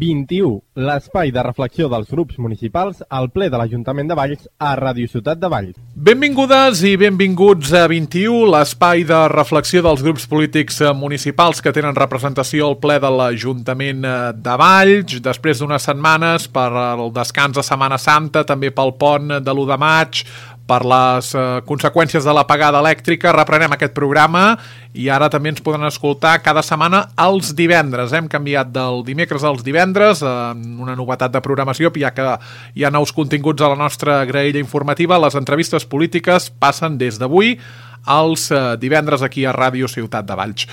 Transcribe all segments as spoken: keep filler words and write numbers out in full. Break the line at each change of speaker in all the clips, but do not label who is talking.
vint-i-u, l'espai de reflexió dels grups municipals al ple de l'Ajuntament de Valls a Ràdio Ciutat de Valls.
Benvingudes i benvinguts a vint-i-u, l'espai de reflexió dels grups polítics municipals que tenen representació al ple de l'Ajuntament de Valls. Després d'unes setmanes per el descans de Setmana Santa, també pel pont de l'u de maig, per les eh, conseqüències de l'apagada elèctrica, reprenem aquest programa i ara també ens poden escoltar cada setmana els divendres. Hem canviat del dimecres als divendres, en eh, una novetat de programació, ja que hi ha nous continguts a la nostra graella informativa. Les entrevistes polítiques passen des d'avui als eh, divendres aquí a Ràdio Ciutat de Valls.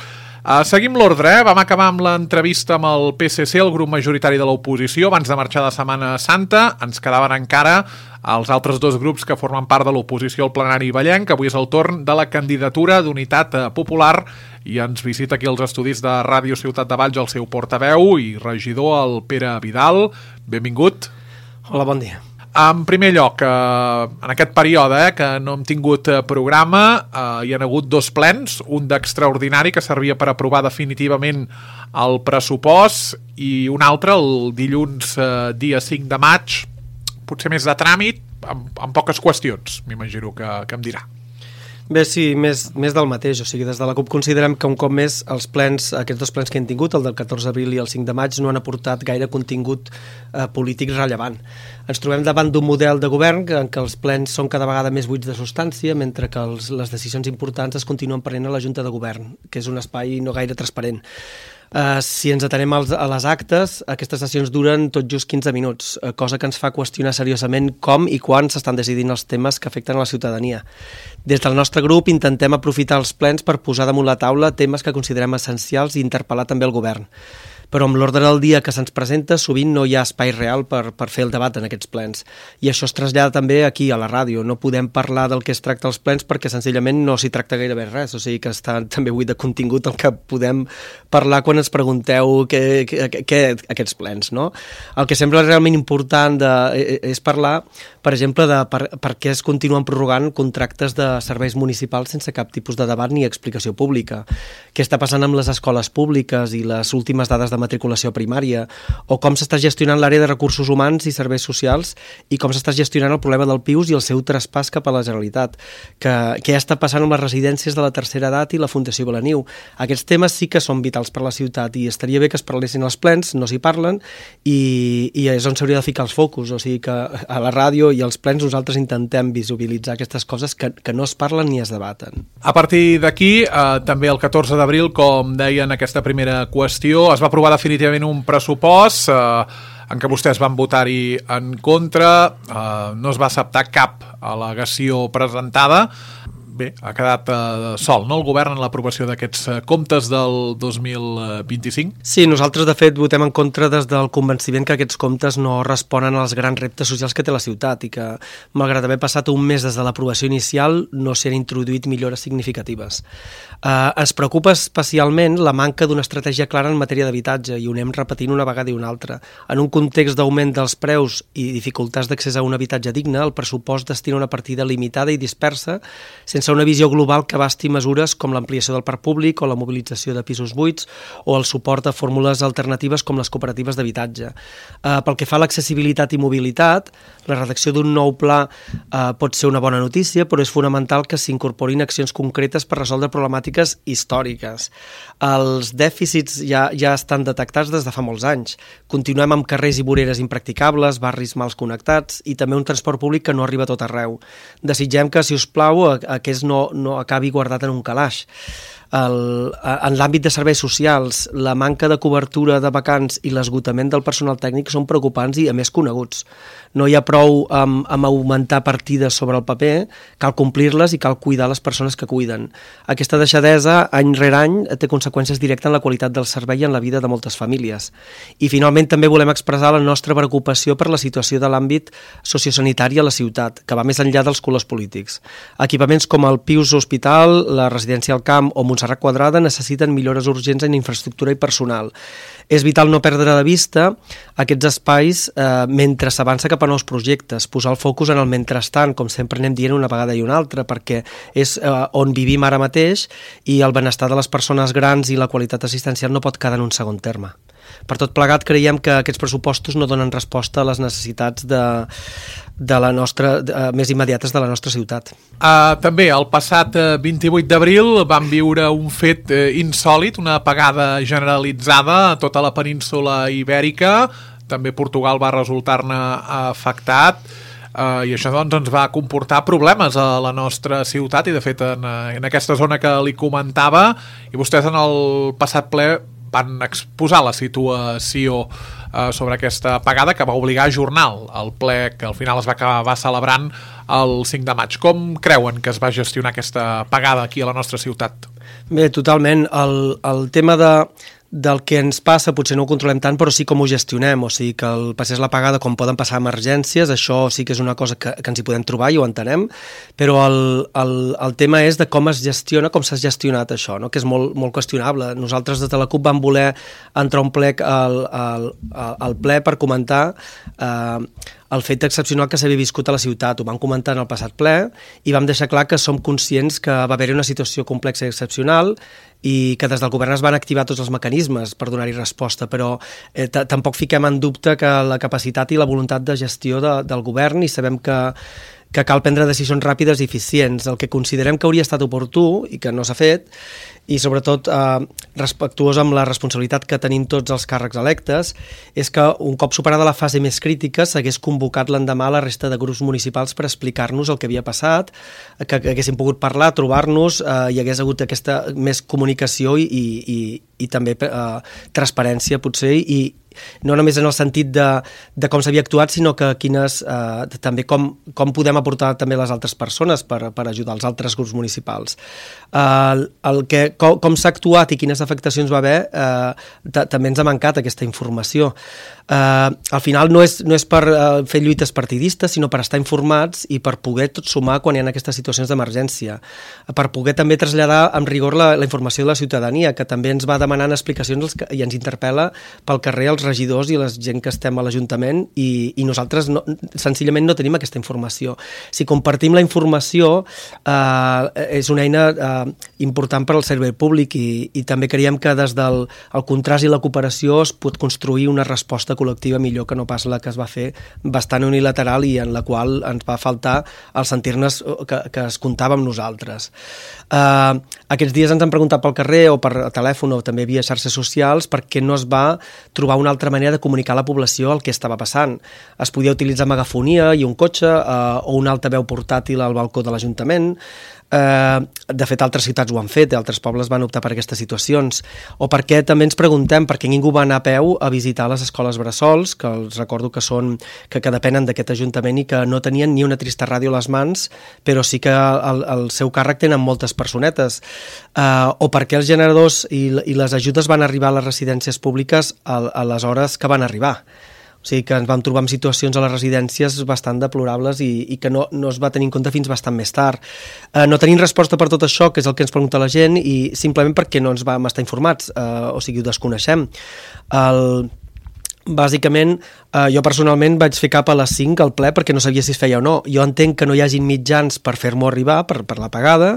Uh, seguim l'ordre, eh? Vam acabar amb l'entrevista amb el P S C, el grup majoritari de l'oposició, abans de marxar de Setmana Santa. Ens quedaven encara els altres dos grups que formen part de l'oposició al plenari vallenc. Avui és el torn de la candidatura d'Unitat Popular i ens visita aquí als estudis de Ràdio Ciutat de Valls el seu portaveu i regidor, el Pere Vidal. Benvingut.
Hola, bon dia.
En primer lloc, eh, en aquest període eh, que no hem tingut programa, eh, hi ha hagut dos plens, un d'extraordinari que servia per aprovar definitivament el pressupost i un altre el dilluns eh, dia cinc de maig, potser més de tràmit, amb, amb poques qüestions, m'imagino que, que em dirà.
Bé, sí, més, més del mateix. O sigui, des de la CUP considerem que un cop més els plens, aquests dos plens que hem tingut, el del catorze d'abril i el cinc de maig, no han aportat gaire contingut eh, polític rellevant. Ens trobem davant d'un model de govern en què els plens són cada vegada més buits de substància, mentre que els, les decisions importants es continuen prenent a la Junta de Govern, que és un espai no gaire transparent. Uh, si ens atenem als, a les actes, aquestes sessions duren tot just quinze minuts, uh, cosa que ens fa qüestionar seriosament com i quan s'estan decidint els temes que afecten a la ciutadania. Des del nostre grup intentem aprofitar els plens per posar damunt la taula temes que considerem essencials i interpel·lar també el govern. Però amb l'ordre del dia que se'ns presenta sovint no hi ha espai real per, per fer el debat en aquests plens. I això es trasllada també aquí a la ràdio. No podem parlar del que es tracta als plens perquè senzillament no s'hi tracta gairebé res. O sigui que està també buit de contingut el que podem parlar quan ens pregunteu què, què, què aquests plens, no? El que sembla realment important de, és parlar, per exemple, de per, per què es continuen prorrogant contractes de serveis municipals sense cap tipus de debat ni explicació pública. Què està passant amb les escoles públiques i les últimes dades de matriculació primària, o com s'està gestionant l'àrea de recursos humans i serveis socials i com s'està gestionant el problema del P I U S i el seu traspàs cap a la Generalitat. Que, què està passant amb les residències de la tercera edat i la Fundació Belaniu. Aquests temes sí que són vitals per a la ciutat i estaria bé que es parlessin als plens, no s'hi parlen, i, i és on s'hauria de ficar els focus. O sigui que a la ràdio i als plens nosaltres intentem visibilitzar aquestes coses que, que no es parlen ni es debaten.
A partir d'aquí, eh, també el catorze d'abril, com deien aquesta primera qüestió, es va aprovar definitivament un pressupost eh, en què vostès van votar-hi en contra, eh, no es va acceptar cap al·legació presentada. Bé, ha quedat eh, sol, no?, el govern en l'aprovació d'aquests eh, comptes del dos mil vint-i-cinc?
Sí, nosaltres de fet votem en contra des del convenciment que aquests comptes no responen als grans reptes socials que té la ciutat i que, malgrat haver passat un mes des de l'aprovació inicial, no s'hi han introduït millores significatives. Eh, ens preocupa especialment la manca d'una estratègia clara en matèria d'habitatge i ho anem repetint una vegada i una altra. En un context d'augment dels preus i dificultats d'accés a un habitatge digne, el pressupost destina una partida limitada i dispersa, sense una visió global que abasti mesures com l'ampliació del parc públic o la mobilització de pisos buits o el suport a fórmules alternatives com les cooperatives d'habitatge. Eh, pel que fa a l'accessibilitat i mobilitat, la redacció d'un nou pla eh, pot ser una bona notícia, però és fonamental que s'incorporin accions concretes per resoldre problemàtiques històriques. Els dèficits ja, ja estan detectats des de fa molts anys. Continuem amb carrers i voreres impracticables, barris mals connectats i també un transport públic que no arriba a tot arreu. Desitgem que, si us plau, aquest no, no acabi guardat en un calaix. El, en l'àmbit de serveis socials, la manca de cobertura de vacants i l'esgotament del personal tècnic són preocupants i, a més, coneguts. No hi ha prou amb, amb augmentar partides sobre el paper, cal complir-les i cal cuidar les persones que cuiden. Aquesta deixadesa, any rere any, té conseqüències directes en la qualitat del servei i en la vida de moltes famílies. I, finalment, també volem expressar la nostra preocupació per la situació de l'àmbit sociosanitari a la ciutat, que va més enllà dels colors polítics. Equipaments com el P I U S Hospital, la Residència al Camp o Montserrat Quadrada necessiten millores urgents en infraestructura i personal. És vital no perdre de vista aquests espais eh, mentre s'avança cap a nous projectes, posar el focus en el mentrestant, com sempre anem dient una vegada i una altra, perquè és eh, on vivim ara mateix i el benestar de les persones grans i la qualitat assistencial no pot quedar en un segon terme. Per tot plegat, creiem que aquests pressupostos no donen resposta a les necessitats de, de la nostra, de, més immediates de la nostra ciutat.
Uh, també, el passat uh, vint-i-vuit d'abril vam viure un fet uh, insòlit, una apagada generalitzada a tota la península ibèrica. També Portugal va resultar-ne afectat. Uh, I això doncs, ens va comportar problemes a la nostra ciutat i de fet en, en aquesta zona que li comentava, i vostès en el passat ple van exposar la situació uh, sobre aquesta apagada que va obligar a ajornar el ple que al final es va acabar celebrant el cinc de maig. Com creuen que es va gestionar aquesta apagada aquí a la nostra ciutat?
Bé, totalment. El, el tema de del que ens passa potser no ho controlem tant, però sí com ho gestionem, o sigui que el passés l'apagada com poden passar emergències, això sí que és una cosa que, que ens hi podem trobar i ho entenem, però el, el, el tema és de com es gestiona, com s'ha gestionat això, no? Que és molt, molt qüestionable. Nosaltres des de la CUP vam voler entrar un plec al, al, al ple per comentar eh, el fet excepcional que s'havia viscut a la ciutat. Ho vam comentar en el passat ple i vam deixar clar que som conscients que va haver-hi una situació complexa i excepcional i que des del govern es van activar tots els mecanismes per donar-hi resposta, però eh, tampoc fiquem en dubte que la capacitat i la voluntat de gestió de, del govern, i sabem que, que cal prendre decisions ràpides i eficients. El que considerem que hauria estat oportú i que no s'ha fet, i sobretot eh, respectuós amb la responsabilitat que tenim tots els càrrecs electes, és que un cop superada la fase més crítica s'hagués convocat l'endemà la resta de grups municipals per explicar-nos el que havia passat, que, que haguéssim pogut parlar, trobar-nos, eh, hi hagués hagut aquesta més comunicació i, i, i, i també eh, transparència potser, i no només en el sentit de, de com s'havia actuat, sinó que quines, eh, també com, com podem aportar també les altres persones per, per ajudar els altres grups municipals. Eh, el que, com, com s'ha actuat i quines afectacions va haver, eh, també ens ha mancat aquesta informació. Eh, al final no és, no és per eh, fer lluites partidistes, sinó per estar informats i per poder tot sumar quan hi ha aquestes situacions d'emergència, per poder també traslladar amb rigor la, la informació de la ciutadania, que també ens va demanant explicacions i ens interpel·la pel carrer els regidors i la gent que estem a l'Ajuntament, i, i nosaltres no, senzillament no tenim aquesta informació. Si compartim la informació, eh, és una eina eh, important per al servei públic, i, i també creiem que des del el contrast i la cooperació es pot construir una resposta col·lectiva millor que no pas la que es va fer bastant unilateral i en la qual ens va faltar el sentir-ne que, que es comptava amb nosaltres. Eh, aquests dies ens han preguntat pel carrer o per telèfon o també via xarxes socials per què no es va trobar una altra manera de comunicar a la població el que estava passant. Es podia utilitzar megafonia i un cotxe eh, o un altaveu portàtil al balcó de l'Ajuntament. Eh, de fet, altres ciutats ho han fet, altres pobles van optar per aquestes situacions. O perquè també ens preguntem per què ningú va anar a peu a visitar les escoles bressols, que els recordo que són que, que depenen d'aquest Ajuntament i que no tenien ni una trista ràdio a les mans, però sí que el, el seu càrrec tenen moltes personetes. Eh, o perquè els generadors i, i les ajudes van arribar a les residències públiques a, a les hores que van arribar. O sigui que ens vam trobar en situacions a les residències bastant deplorables i, i que no, no es va tenir en compte fins bastant més tard. Eh, no tenim resposta per tot això, que és el que ens pregunta la gent, i simplement perquè no ens vam estar informats, eh, o sigui, ho desconeixem. El... Bàsicament, eh, jo personalment vaig fer cap a les cinc al ple perquè no sabia si es feia o no. Jo entenc que no hi hagin mitjans per fer-m'ho arribar, per, per la pagada,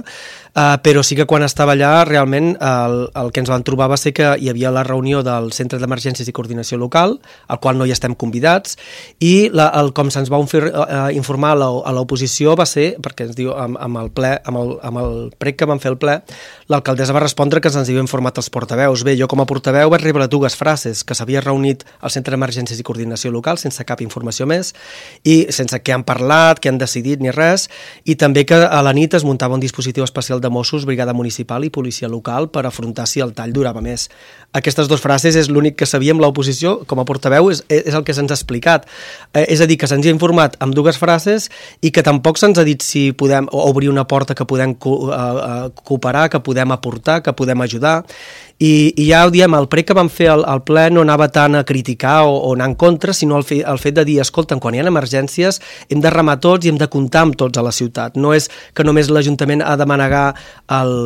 eh, però sí que quan estava allà realment el, el que ens vam trobar va ser que hi havia la reunió del Centre d'Emergències i Coordinació Local, al qual no hi estem convidats, i la, el, com se'ns va eh, informar a l'oposició va ser, perquè ens diu amb, amb, el ple, amb, el, amb el prec que vam fer el ple, l'alcaldessa va respondre que ens havia informat els portaveus. Bé, jo com a portaveu vaig rebre dues frases, que s'havia reunit al Centre d'Emergències i Coordinació Local sense cap informació més i sense què han parlat, què han decidit ni res, i també que a la nit es muntava un dispositiu especial de Mossos, Brigada Municipal i Policia Local per afrontar si el tall durava més. Aquestes dues frases és l'únic que sabíem l'oposició, com a portaveu és, és el que se'ns ha explicat. Eh, és a dir, que se'ns ha informat amb dues frases i que tampoc se'ns ha dit si podem obrir una porta que podem co uh, cooperar, que podem aportar, que podem ajudar. I, i ja ho diem, el prec que vam fer al, al ple no anava tant a criticar o, o anar en contra, sinó el, fe, el fet de dir, escolta, quan hi ha emergències hem de remar tots i hem de comptar amb tots a la ciutat. No és que només l'Ajuntament ha de manegar el...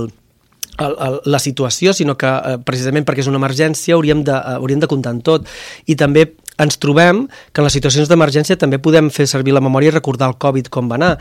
El, el, la situació, sinó que eh, precisament perquè és una emergència hauríem de, uh, hauríem de comptar en tot. I també ens trobem que en les situacions d'emergència també podem fer servir la memòria i recordar el Covid com va anar.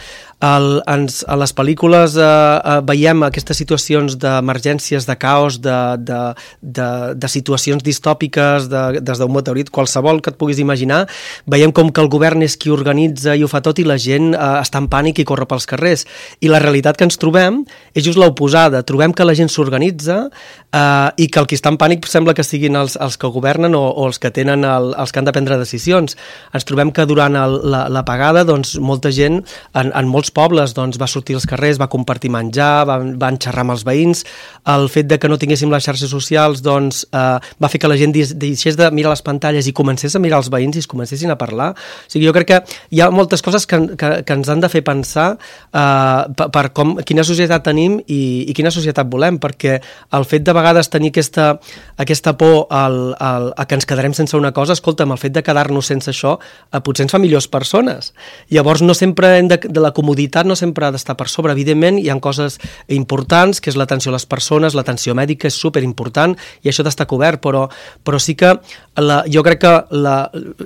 El, ens, a les pel·lícules eh, eh, veiem aquestes situacions d'emergències, de caos, de, de, de, de situacions distòpiques, de, des d'un meteorit, qualsevol que et puguis imaginar, veiem com que el govern és qui organitza i ho fa tot i la gent eh, està en pànic i corre pels carrers. I la realitat que ens trobem és just l'oposada. Trobem que la gent s'organitza eh, i que el qui està en pànic sembla que siguin els, els que governen o, o els que tenen el, els que han de prendre decisions. Ens trobem que durant el, la, la pagada doncs, molta gent en, en molts pobles doncs, va sortir als carrers, va compartir menjar, van, van xerrar amb els veïns. El fet de que no tinguéssim les xarxes socials doncs, eh, va fer que la gent deixés de mirar les pantalles i comencés a mirar els veïns i es comencessin a parlar. O sigui, jo crec que hi ha moltes coses que, que, que ens han de fer pensar eh, per, per com, quina societat tenim i, i quina societat volem, perquè el fet de vegades tenir aquesta, aquesta por al, al, a que ens quedarem sense una cosa, escolta'm, el fet de quedar-nos sense això eh, potser ens fa millors persones. Llavors no sempre hem de, de la comoditat no sempre ha d'estar per sobre. Evidentment hi ha coses importants, que és l'atenció a les persones, l'atenció mèdica és superimportant i això ha d'estar cobert, però, però sí que la, jo crec que la,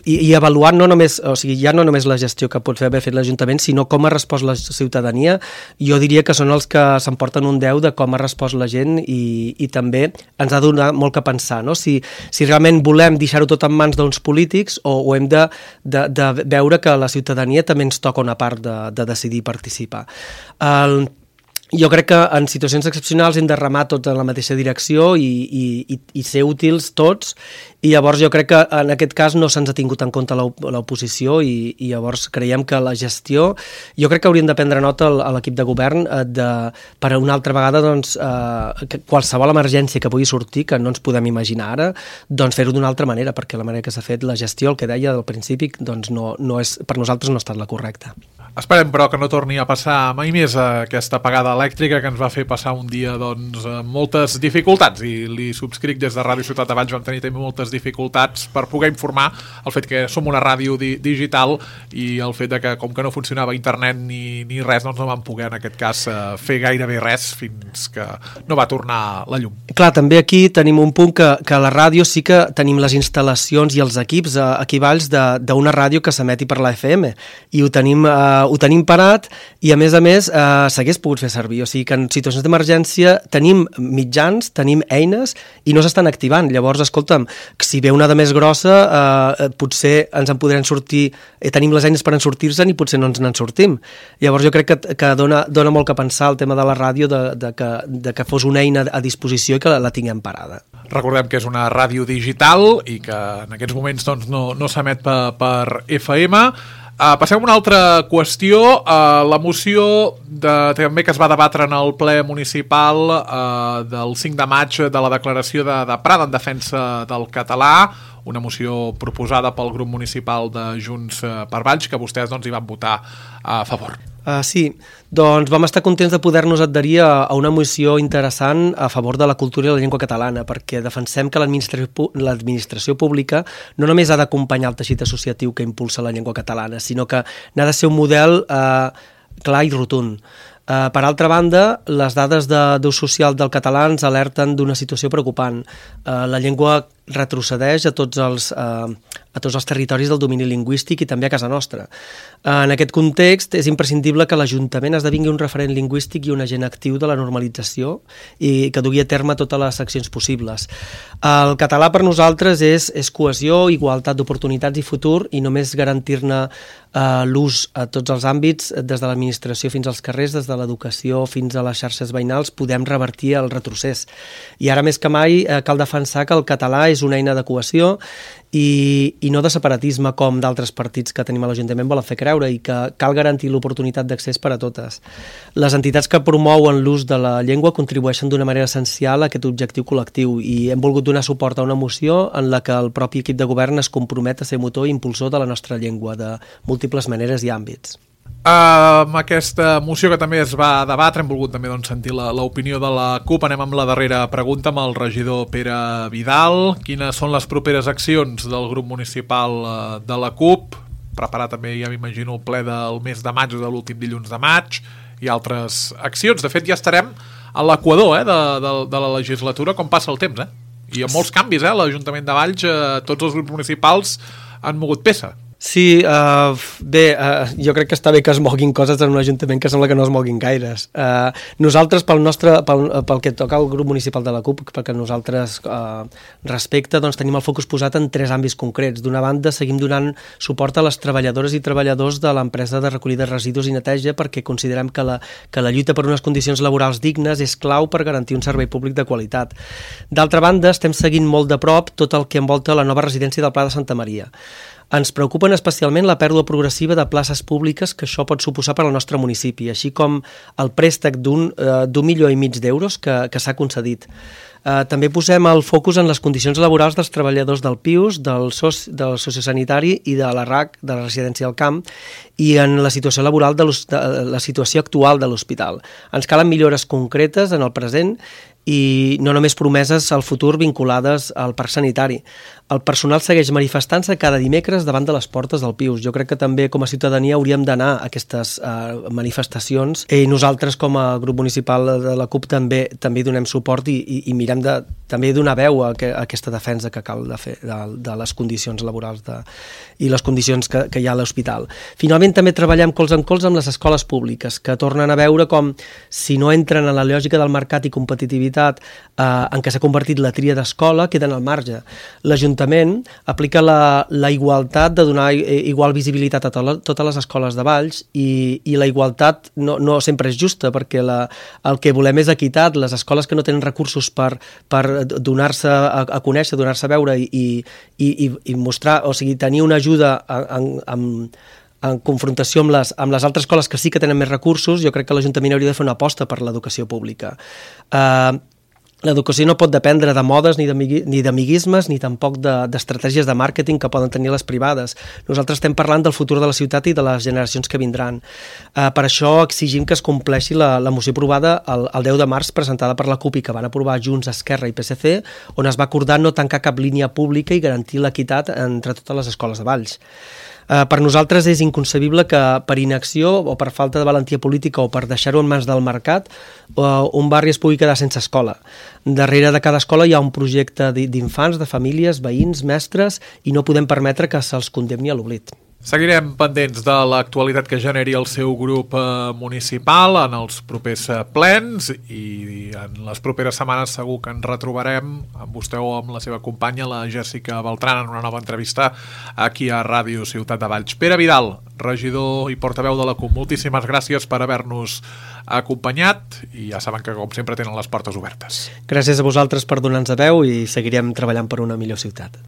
i, i avaluant no només, o sigui, ja no només la gestió que pot fer haver fet l'Ajuntament, sinó com ha respost la ciutadania, jo diria que són els que s'emporten un deu de com ha respost la gent i, i també ens ha donat molt que pensar, no? Si, si realment volem deixar-ho tot en mans d'uns polítics o, o hem de, de, de veure que la ciutadania també ens toca una part de, de decidir participar. El, jo crec que en situacions excepcionals hem de remar tots en la mateixa direcció i, i, i ser útils tots, i llavors jo crec que en aquest cas no se'ns ha tingut en compte l'oposició i, i llavors creiem que la gestió, jo crec que hauríem de prendre nota a l'equip de govern de, per una altra vegada doncs, eh, que qualsevol emergència que pugui sortir, que no ens podem imaginar ara, doncs fer-ho d'una altra manera, perquè la manera que s'ha fet la gestió, el que deia del principi, doncs no, no és, per nosaltres no ha estat la correcta.
Esperem, però, que no torni a passar mai més aquesta apagada elèctrica que ens va fer passar un dia doncs, amb moltes dificultats, i li subscric des de Ràdio Ciutat de Valls, vam tenir també moltes dificultats per poder informar el fet que som una ràdio di digital i el fet de que com que no funcionava internet ni, ni res, doncs no vam poder en aquest cas fer gairebé res fins que no va tornar la llum.
Clar, també aquí tenim un punt que, que a la ràdio sí que tenim les instal·lacions i els equips eh, aquí a Valls d'una ràdio que s'emeti per la F M i ho tenim, eh, ho tenim parat i a més a més eh, s'hagués pogut fer servir, o sigui que en situacions d'emergència tenim mitjans, tenim eines i no s'estan activant. Llavors, escolta'm, si ve una de més grossa, eh, potser ens en podrem sortir, eh, tenim les eines per en sortir-se'n i potser no ens n'en sortim. Llavors jo crec que, que dona, dona molt que pensar el tema de la ràdio, de, de, que, de que fos una eina a disposició i que la, la tinguem parada.
Recordem que és una ràdio digital i que en aquests moments doncs, no, no s'emet per, per F M. Uh, passem a una altra qüestió, uh, la moció de, també que es va debatre en el ple municipal uh, del cinc de maig de la declaració de, de Prada en defensa del català, una moció proposada pel grup municipal de Junts per Valls, que vostès doncs, hi van votar a favor.
Uh, sí, doncs vam estar contents de poder-nos adherir a, a una moció interessant a favor de la cultura i la llengua catalana, perquè defensem que l'administració pública no només ha d'acompanyar el teixit associatiu que impulsa la llengua catalana, sinó que n'ha de ser un model eh, clar i rotund. Uh, per altra banda, les dades d'ús social del català ens alerten d'una situació preocupant. Uh, la llengua retrocedeix a tots els, uh, a tots els territoris del domini lingüístic i també a casa nostra. Uh, en aquest context, és imprescindible que l'Ajuntament esdevingui un referent lingüístic i un agent actiu de la normalització i que dugui a terme totes les accions possibles. El català per nosaltres és, és cohesió, igualtat d'oportunitats i futur, i només garantir-ne uh, l'ús a tots els àmbits, des de l'administració fins als carrers, des de l'educació fins a les xarxes veïnals, podem revertir el retrocés. I ara més que mai eh, cal defensar que el català és una eina de cohesió i, i no de separatisme com d'altres partits que tenim a l'Ajuntament volen fer creure, i que cal garantir l'oportunitat d'accés per a totes. Les entitats que promouen l'ús de la llengua contribueixen d'una manera essencial a aquest objectiu col·lectiu, i hem volgut donar suport a una moció en la que el propi equip de govern es compromet a ser motor i impulsor de la nostra llengua de múltiples maneres i àmbits.
Uh, amb aquesta moció que també es va debatre, hem volgut també doncs, sentir l'opinió de la CUP. Anem amb la darrera pregunta amb el regidor Pere Vidal. Quines són les properes accions del grup municipal uh, de la CUP? Preparar també, ja m'imagino, el ple del mes de maig o de l'últim dilluns de maig i altres accions. De fet, ja estarem a l'equador eh, de, de, de la legislatura, com passa el temps, eh? I amb molts canvis, eh? L'Ajuntament de Valls, eh, tots els grups municipals han mogut peça.
Sí, uh, bé, uh, jo crec que està bé que es moguin coses en un ajuntament que sembla que no es moguin gaires. Uh, nosaltres, pel nostre, pel, pel que toca al grup municipal de la CUP, perquè nosaltres uh, respecte, doncs tenim el focus posat en tres àmbits concrets. D'una banda, seguim donant suport a les treballadores i treballadors de l'empresa de recollida de residus i neteja perquè considerem que la, que la lluita per unes condicions laborals dignes és clau per garantir un servei públic de qualitat. D'altra banda, estem seguint molt de prop tot el que envolta la nova residència del Pla de Santa Maria. Ens preocupen especialment la pèrdua progressiva de places públiques que això pot suposar per al nostre municipi, així com el préstec d'un eh, d'un milió i mig d'euros que, que s'ha concedit. Eh, també posem el focus en les condicions laborals dels treballadors del P I U S, del, soci, del sociosanitari i de la R A C, de la residència del camp, i en la situació laboral de, de la situació actual de l'hospital. Ens calen millores concretes en el present i no només promeses al futur vinculades al parc sanitari. El personal segueix manifestant-se cada dimecres davant de les portes del P I U S. Jo crec que també com a ciutadania hauríem d'anar a aquestes uh, manifestacions i nosaltres com a grup municipal de la CUP també també donem suport i, i, i mirem de, també donar veu a, que, a aquesta defensa que cal de fer de, de les condicions laborals de, i les condicions que, que hi ha a l'hospital. Finalment també treballem colze en colze amb les escoles públiques que tornen a veure com si no entren en la lògica del mercat i competitivitat eh, en què s'ha convertit la tria d'escola queden al marge. L'Ajuntament aplica la, la igualtat de donar igual visibilitat a to totes les escoles de Valls i, i la igualtat no, no sempre és justa perquè la, el que volem és equitat. Les escoles que no tenen recursos per, per donar-se a, a conèixer, donar-se a veure i, i, i, i mostrar, o sigui, tenir una ajuda en, en, en confrontació amb les, amb les altres escoles que sí que tenen més recursos, jo crec que l'Ajuntament hauria de fer una aposta per l'educació pública. Uh, L'educació no pot dependre de modes ni d'amiguismes ni tampoc d'estratègies de, de màrqueting que poden tenir les privades. Nosaltres estem parlant del futur de la ciutat i de les generacions que vindran. Uh, per això exigim que es compleixi la, la moció aprovada el, el deu de març presentada per la CUP i que van aprovar Junts, Esquerra i P S C, on es va acordar no tancar cap línia pública i garantir l'equitat entre totes les escoles de Valls. Uh, per nosaltres és inconcebible que per inacció o per falta de valentia política o per deixar-ho en mans del mercat uh, un barri es pugui quedar sense escola. Darrere de cada escola hi ha un projecte d'infants, de famílies, veïns, mestres i no podem permetre que se'ls condemni a l'oblit.
Seguirem pendents de l'actualitat que generi el seu grup eh, municipal en els propers eh, plens i en les properes setmanes segur que ens retrobarem amb vostè o amb la seva companya, la Jèssica Beltran, en una nova entrevista aquí a Ràdio Ciutat de Valls. Pere Vidal, regidor i portaveu de la CUP, moltíssimes gràcies per haver-nos acompanyat i ja saben que com sempre tenen les portes obertes.
Gràcies a vosaltres per donar-nos veu i seguirem treballant per una millor ciutat.